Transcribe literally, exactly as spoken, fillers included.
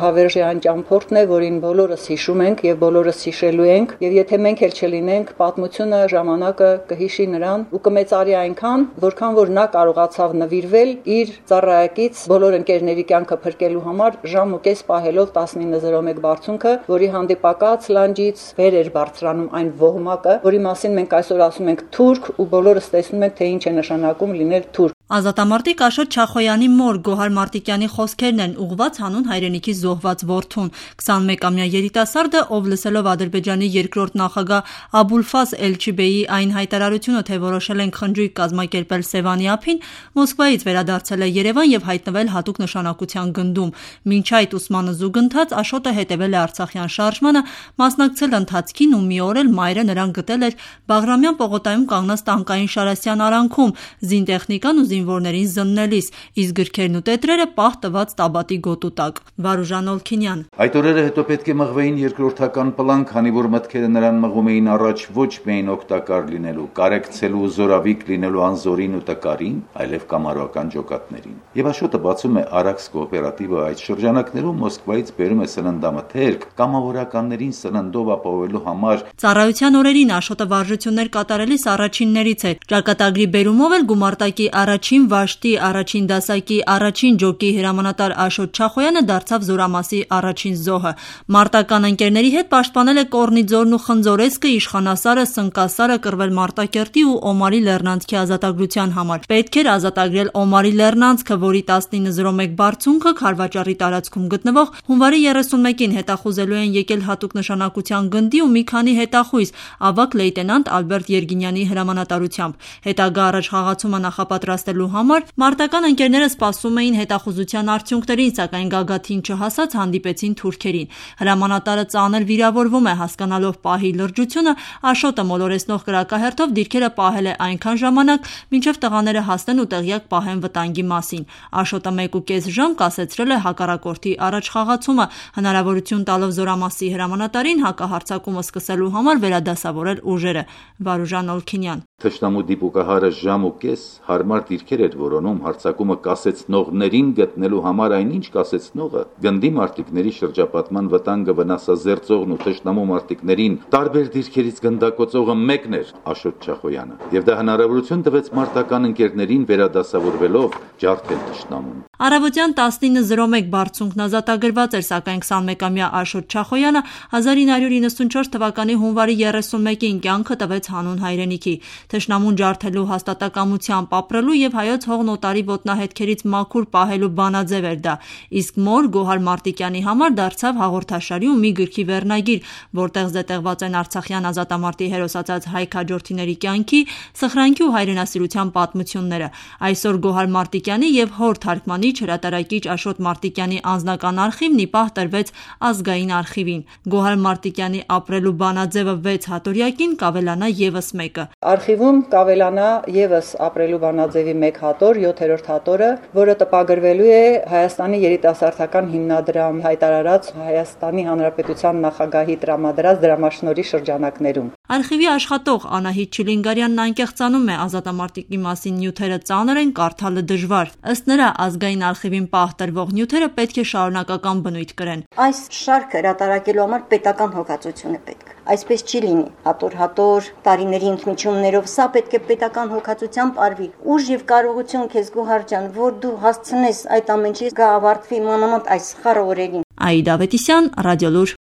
Հավերժյան ճամփորդն է, որին բոլորս հիշում ենք եւ բոլորս հիշելու ենք, եւ եթե մենք էլ չլինենք, պատմությունը, ժամանակը կհիշի նրան ու կմեծարի այնքան, որքան որ նա կարողացավ նվիրվել իր ծառայակից բոլոր ընկերների կյանքը փրկելու համար ժամ ու կես պահելով տասնինը զրո մեկ բարձունքը, որի հանդիպակաց լանջից վեր էր բարձրանում այն ոհմակը, որի մասին մենք այսօր ասում ենք թուրք ու բոլորս տեսնում ենք, թե ինչ է նշանակում լինել թուրք։ Ազատամարտիկ Աշոտ Չախոյանի մոր Գոհար Մարտիկյանի խոսքերն են ուղղված հանուն հայրենիքի զոհված որդուն։ քսանմեկամյա երիտասարդը, ով լսելով Ադրբեջանի երկրորդ նախագահ Աբուլֆազ Էլչիբեյի այն հայտարարությունը, թե որոշել են խնջույք կազմակերպել Սևանի ափին, Մոսկվայից վերադարձել է Երևան եւ հայտնվել հատուկ նշանակության գնդում։ Մինչ այդ ուսմանը զուգընթաց Աշոտը հետևել է Արցախյան շարժմանը, մասնակցել ընթացքին ու մի օր էլ մայրը նրան գտել էր Բաղրամյան պողոտայում կանգնած տանկային Շարասյան արանքում, զինտեխնիկան ու զինվորներին զննելիս, իսկ գրքերն ու տետրերը պահ տված տաբատի գոտու տակ։ Վարուժան Օլքինյան։ Այդ օրերը հետո պետք է մղվեին երկրորդական պլան, քանի որ մտքերը նրան մղում էին առաջ ոչ միայն օգտակար լինելու, կարեկցելու ու զորավիկ լինելու անզորին ու տկարին, այլև կամարական ջոկատներին։ Եվ Աշոտը բացում է Արաքս կոոպերատիվը այդ շրջանակներում Մոսկվայից բերում է սննդամթերք կամավորականներին սննդով ապահովելու համար։ Ծառայության օրերին Աշոտը վարժություններ կատարելիս առաջիններից էր։ Ճակատագրի բերումով էլ գումարտակի առաջին վաշտի, առաջին դասակի, առաջին ջոկի հրամանատար Աշոտ Չախոյանը դարձավ զորամասի առաջին զոհը։ Մարտական ընկերների հետ պաշտպանել է Կորնիձորն ու Խնձորեսկը, Իշխանասարը, Սնկասարը, կռվել Մարտակերտի ու Օմարի Լեռնանցքի ազատագրության համար։ Պետք էր ազատագրել Օմարի Լեռնանցքը, որի տասնինը զրո մեկ բարձունքը Քարվաճառի տարածքում գտնվող հունվարի երեսունմեկին հետախուզելու են եկել հատուկ նշանակության գնդի ու մի քանի հետախույզ ավագ լեյտենանտ Ալբերտ Երգինյանի հրամանատարությամբ։ Հետագա առաջխաղացումը նախապատրաստելու համար մարտական ընկերները սպասում էին հետախուզության արդյունքներին, սակայն գագաթին չհասած հանդիպեցին թուրքերին։ Հրամանատարը ծանր վիրավորվում է, հասկանալով պահի լրջությունը, Աշոտը մոլորեսնող կրակահերթով դիրքերը պահել է այնքան ժամանակ, մինչև տղաները հասնեն ու տեղյակ պահեն վտանգի մասին։ Աշոտը մեկ ու կես ժամ կասեցրել է հակառակորդի առաջխաղացումը, հնարավորություն տալով զորամասի հրամանատարին հակահարձակումը սկսելու համար վերադասավորել ուժերը։ Վարուժան Օլքինյան։ Թշնամու դիպուկահարը ժամ ու կես հարմար դիրքեր էր որոնում հարձակումը կասեցնողներին գտնելու համար, այնինչ կասեցնողը գնդի մարտիկների շրջապատման վտանգը վնասազերծողն ու թշնամու մարտիկներին տարբեր դիրքերից գնդակոծողը մեկն էր Աշոտ Չախոյանը, եւ դա հնարավորություն տվեց մարտական ընկերներին վերադասավորվելով ջարդել թշնամուն։ Առավոտյան տասնինը զրո մեկ բարձունքն ազատագրված էր, սակայն քսանմեկամյա Աշոտ Չախոյանը հազար ինը հարյուր իննսունչորս թվականի հունվարի երեսունմեկին կյանքը տվեց հանուն հայրենիքի։ Թշնամուն ջարդելու հաստատակամությամբ ապրելու եւ հայոց հողնոտարի ոտնահետքերից մաքուր պահելու բանաձև էր դա, իսկ մոր Գոհար Մարտիկյանի համար դարձավ հաղորդաշարի ու մի գրքի վերնագիր, որտեղ զետեղված են արցախյան ազատամարտի հերոսացած հայ քաջորդիների կյանքի, սխրանքի ու հայրենասիրության պատմությունները։ Այսօր Գոհար Մարտիկյանի եւ հոր թարգմանիչ հրատարակիչ Աշոտ Մարտիկյանի անձնական արխիվն ի պահ տրվեց ազգային արխիվին։ Գոհար Մարտիկյանի ապրելու բանաձևը վեց հատորյակին կավելանա եւս մեկը։ Արխիվում կավելանա եւս ապրելու բանաձևի մեկ հատոր, յոթերորդ հատորը, որը տպագրվելու է Հայաստանի երիտասարդական հիմնադրամ հայտարարած Հայաստանի Հանրապետության նախագահի տրամադրած դրամաշնորհի շրջանակներում։ Արխիվի աշխատող Անահիտ Չիլինգարյանն անկեղծանում է ազատամարտիկի մասին նյութերը ծանր են, կարդալը դժվար։ Ըստ նրա, ազգային արխիվին պահ տրվող նյութերը պետք է շարունակական բնույթ կրեն։ Այս շարքը հրատարակելու համար պետական հոգացություն է պետք։ Այսպես չի լինի հատոր-հատոր տարիների ընդմիջումներով, սա պետք է պետական հոգացությամբ արվի։ Ուժ եւ կարողություն քեզ Գոհար ջան, որ դու հասցնես այդ ամենի գա ավարտվի մանավանդ այս խառը օրերին։ Աիդա Ավետիսյան, Ռադիոլուր։